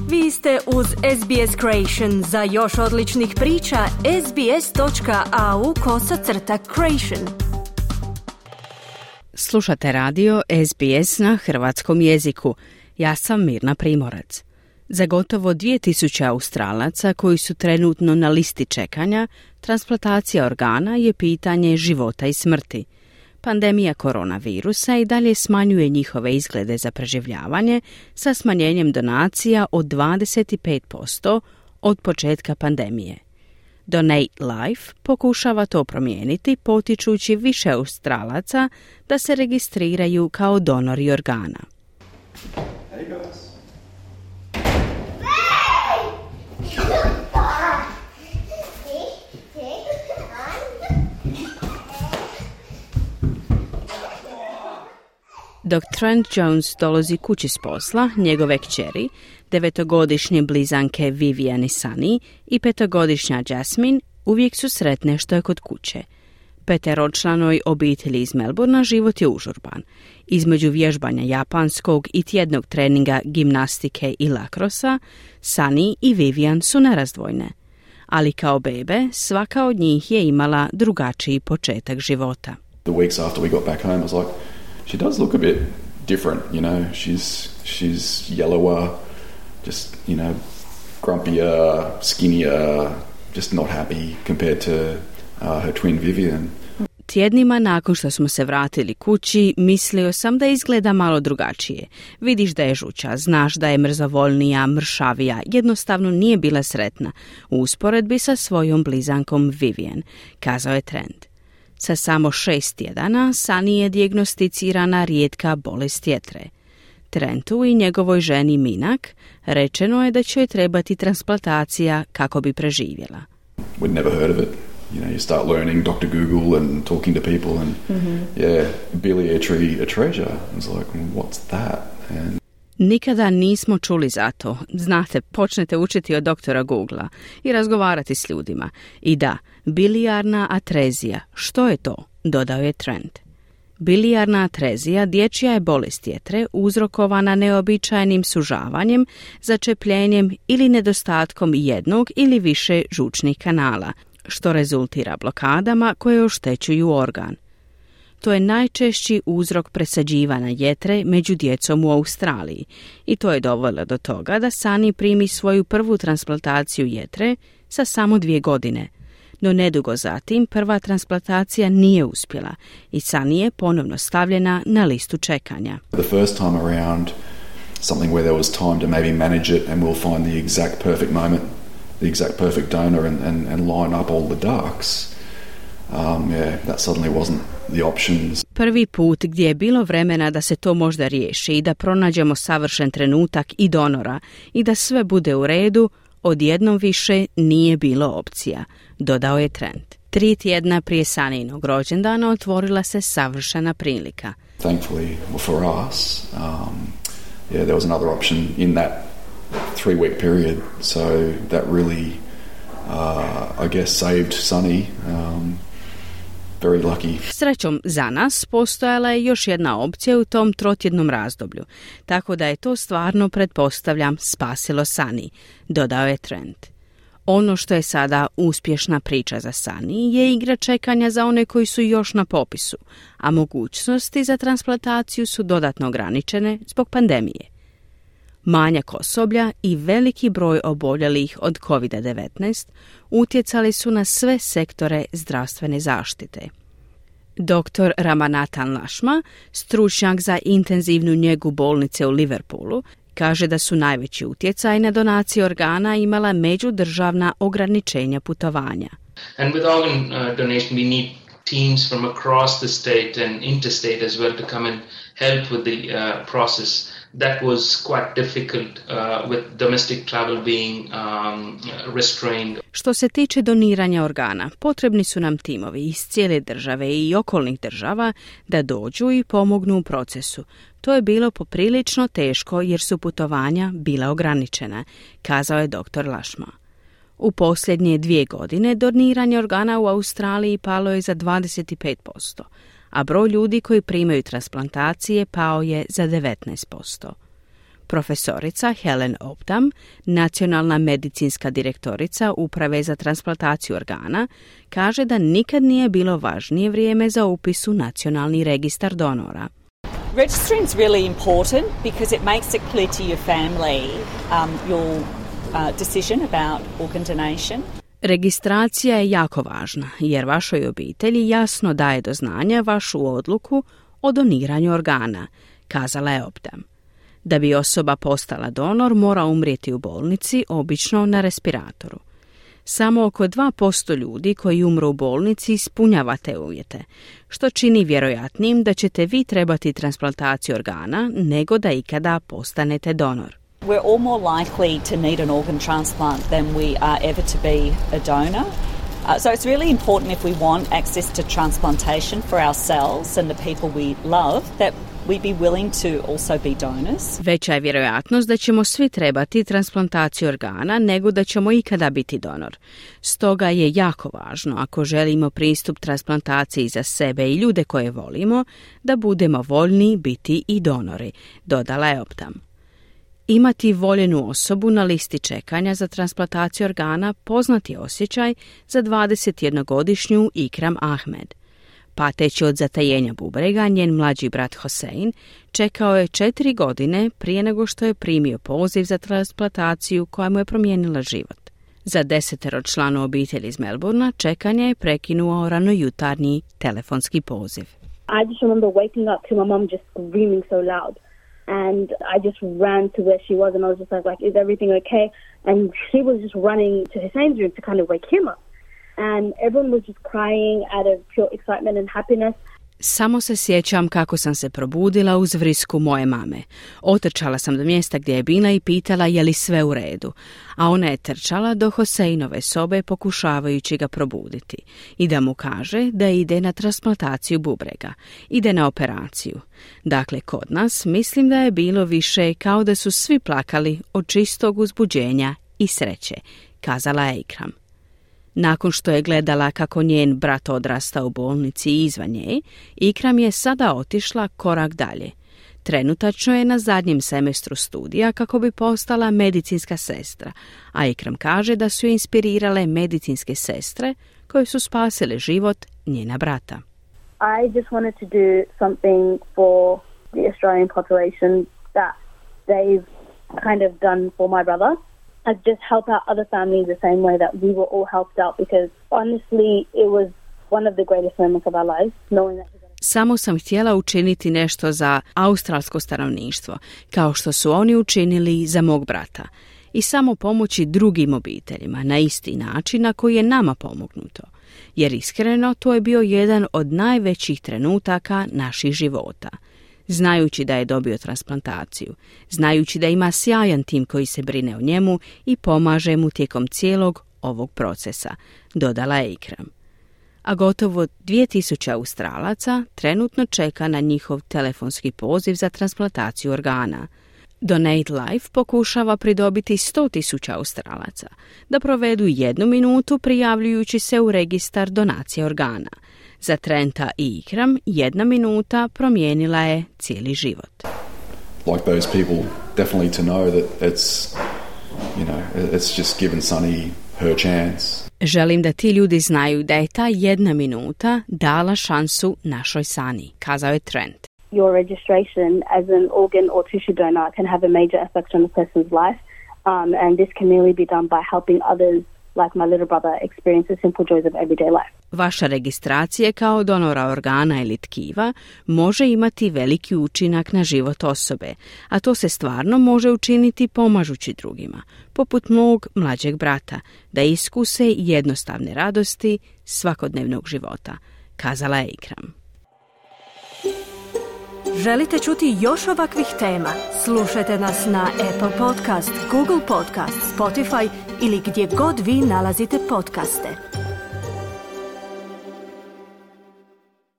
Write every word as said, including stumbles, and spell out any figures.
Vi ste uz S B S Creation. Za još odličnih priča, sbs.au kosacrta creation. Slušate radio S B S na hrvatskom jeziku. Ja sam Mirna Primorac. Za gotovo dvije tisuće Australaca koji su trenutno na listi čekanja, transplantacija organa je pitanje života i smrti. Pandemija koronavirusa i dalje smanjuje njihove izglede za preživljavanje sa smanjenjem donacija od dvadeset pet posto od početka pandemije. Donate Life pokušava to promijeniti potičući više Australaca da se registriraju kao donori organa. Hey guys. Dok Trent Jones dolazi kući s posla, njegove kćeri, devetogodišnje blizanke Vivian i Sunny i petogodišnja Jasmine uvijek su sretne što je kod kuće. Peteročlanoj obitelji iz Melbourna život je užurban. Između vježbanja japanskog i tjednog treninga gimnastike i lakrosa, Sunny i Vivian su nerazdvojne. Ali kao bebe, svaka od njih je imala drugačiji početak života. The weeks after we got back home, I was like, she does look a bit different, you know. She's she's yellower, just, you know, grumpier, skinnier, just not happy compared to uh, her twin Vivian. Tjednima nakon što smo se vratili kući, mislio sam da izgleda malo drugačije. Vidiš da je žuća, znaš da je mrzovoljnija, mršavija, jednostavno nije bila sretna u usporedbi sa svojom blizankom Vivian, kazao je Trent. Sa samo šest tjedana Sunny je dijagnosticirana rijetka bolest jetre. Trentu i njegovoj ženi Minak rečeno je da će joj trebati transplantacija kako bi preživjela. We'd never heard of it. You know, you start learning Doctor Google and talking to people and mm-hmm. yeah, biliary atresia. I was like, what's that? And nikada nismo čuli za to. Znate, počnete učiti od doktora Googlea i razgovarati s ljudima. I da, bilijarna atrezija. Što je to? Dodao je Trent. Bilijarna atrezija dječja je bolest jetre uzrokovana neobičajnim sužavanjem, začepljenjem ili nedostatkom jednog ili više žučnih kanala, što rezultira blokadama koje oštećuju organ. To je najčešći uzrok presađivanja jetre među djecom u Australiji i to je dovelo do toga da Sunny primi svoju prvu transplantaciju jetre sa samo dvije godine. No nedugo zatim prva transplantacija nije uspjela i Sunny je ponovno stavljena na listu čekanja. The first time around, something where there was time to maybe manage it and we'll find the exact perfect moment, the exact perfect donor and, and, and line up all the ducks. Um, yeah, that suddenly wasn't the options. Prvi put gdje je bilo vremena da se to možda riješi i da pronađemo savršen trenutak i donora i da sve bude u redu, odjednom više nije bilo opcija, dodao je Trent. Tri tjedna prije Sunnynog rođendana otvorila se savršena prilika. Thankfully for us, um, yeah, there was another option in that three-week period, so that really, uh, I guess, saved Sunny. Um, very lucky. Srećom za nas postojala je još jedna opcija u tom trotjednom razdoblju, tako da je to stvarno, pretpostavljam, spasilo Sunny, dodao je Trent. Ono što je sada uspješna priča za Sunny je igra čekanja za one koji su još na popisu, a mogućnosti za transplantaciju su dodatno ograničene zbog pandemije. Manjak osoblja i veliki broj oboljelih od covid devetnaest utjecali su na sve sektore zdravstvene zaštite. doktor Ramanathan Lashma, stručnjak za intenzivnu njegu bolnice u Liverpoolu, kaže da su najveći utjecaj na donacije organa imala međudržavna ograničenja putovanja. And with organ uh, donation we need teams from across the state and interstate as well to come and help with the uh, process. That was quite difficult uh, with domestic travel being um, restrained. Što se tiče doniranja organa, potrebni su nam timovi iz cijele države i okolnih država da dođu i pomognu u procesu. To je bilo poprilično teško jer su putovanja bila ograničena, kazao je doktor Lashma. U posljednje dvije godine doniranje organa u Australiji palo je za dvadeset pet posto, a broj ljudi koji primaju transplantacije pao je za devetnaest posto. Profesorica Helen Oldham, nacionalna medicinska direktorica Uprave za transplantaciju organa, kaže da nikad nije bilo važnije vrijeme za upis u nacionalni registar donora. Registering is really important because it makes it clear to your family um, your uh, decision about organ donation. Registracija je jako važna jer vašoj obitelji jasno daje do znanja vašu odluku o doniranju organa, kazala je Oldham. Da bi osoba postala donor, mora umrijeti u bolnici, obično na respiratoru. Samo oko dva posto ljudi koji umru u bolnici ispunjava te uvjete, što čini vjerojatnim da ćete vi trebati transplantaciju organa nego da ikada postanete donor. We're all more likely to need an organ transplant than we are ever to be a donor. Uh, so it's really important if we want access to transplantation for ourselves and the people we love that we be willing to also be donors. Veća je vjerojatnost da ćemo svi trebati transplantaciju organa nego da ćemo ikada biti donor. Stoga je jako važno, ako želimo pristup transplantaciji za sebe i ljude koje volimo, da budemo voljni biti i donori, dodala je Oldham. Imati voljenu osobu na listi čekanja za transplantaciju organa poznati osjećaj za dvadesetjednogodišnju Ikram Ahmed. Pateći od zatajenja bubrega, njen mlađi brat Hosein čekao je četiri godine prije nego što je primio poziv za transplantaciju koja mu je promijenila život. Za desetero članu obitelji iz Melbourna čekanje je prekinuo ranojutarnji telefonski poziv. I just remember waking up to my mom just screaming so loud. And I just ran to where she was and I was just like, like, is everything okay? And she was just running to Hussein's room to kind of wake him up. And everyone was just crying out of pure excitement and happiness. Samo se sjećam kako sam se probudila uz vrisku moje mame. Otrčala sam do mjesta gdje je bila i pitala je li sve u redu, a ona je trčala do Hoseinove sobe pokušavajući ga probuditi i da mu kaže da ide na transplantaciju bubrega, ide na operaciju. Dakle, kod nas mislim da je bilo više kao da su svi plakali od čistog uzbuđenja i sreće, kazala je Ikram. Nakon što je gledala kako njen brat odrasta u bolnici i izvan nje, Ikram je sada otišla korak dalje. Trenutačno je na zadnjem semestru studija kako bi postala medicinska sestra, a Ikram kaže da su je inspirirale medicinske sestre koje su spasile život njena brata. I just wanted to do something for the Australian population that they've kind of done for my brother. And just help out other families the same way that we were all helped out, because honestly it was one of the greatest moments of our lives, knowing that. Samo sam htjela učiniti nešto za australsko stanovništvo, kao što su oni učinili za mog brata, i samo pomoći drugim obiteljima na isti način na koji je nama pomognuto. Jer iskreno to je bio jedan od najvećih trenutaka naših života. Znajući da je dobio transplantaciju, znajući da ima sjajan tim koji se brine o njemu i pomaže mu tijekom cijelog ovog procesa, dodala je Ikram. A gotovo dvije tisuće Australaca trenutno čeka na njihov telefonski poziv za transplantaciju organa. Donate Life pokušava pridobiti sto tisuća Australaca da provedu jednu minutu prijavljujući se u registar donacije organa. Za Trenta i Ikram jedna minuta promijenila je cijeli život. Like those people, definitely to know that it's, you know, it's just given Sunny her chance. Želim da ti ljudi znaju da je ta jedna minuta dala šansu našoj Sunny, kazao je Trent. Your registration as an organ or tissue donor can have a major effect on a person's life, um, and this can merely be done by helping others, like my little brother, experience the simple joys of everyday life. Vaša registracija kao donora organa ili tkiva može imati veliki učinak na život osobe, a to se stvarno može učiniti pomažući drugima, poput mog mlađeg brata, da iskuse jednostavne radosti svakodnevnog života, kazala je Ikram. Želite čuti još ovakvih tema? Slušajte nas na Apple Podcast, Google Podcast, Spotify ili gdje god vi nalazite podcaste.